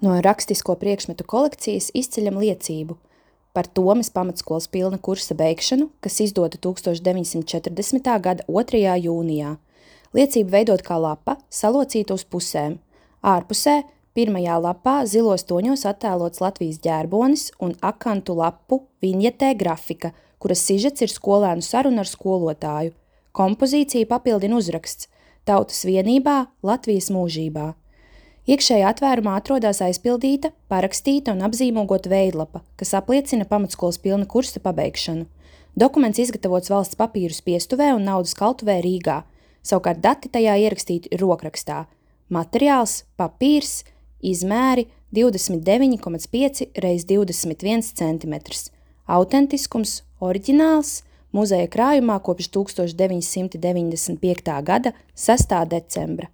No rakstisko priekšmetu kolekcijas izceļam liecību par Tomes pamatskolas pilna kursa beigšanu, kas izdota 1940. gada 2. jūnijā. Liecība veidot kā lapa, salocīta uz pusēm. Ārpusē, pirmajā lapā zilos toņos attēlots Latvijas ģērbonis un akantu lapu viņetē grafika, kuras sižets ir skolēnu saruna ar skolotāju. Kompozīcija papildina uzraksts Tautas vienībā, Latvijas mūžībā. Iekšējā atvērumā atrodas aizpildīta, parakstīta un apzīmogota veidlapa, kas apliecina pamatskolas pilna kursa pabeigšanu. Dokuments izgatavots valsts papīru spiestuvē un naudas kaltuvē Rīgā. Savukārt dati tajā ierakstīti rokrakstā. Materiāls, papīrs, izmēri 29,5 x 21 cm. Autentiskums, oriģināls, muzeja krājumā kopš 1995. gada 6. decembra.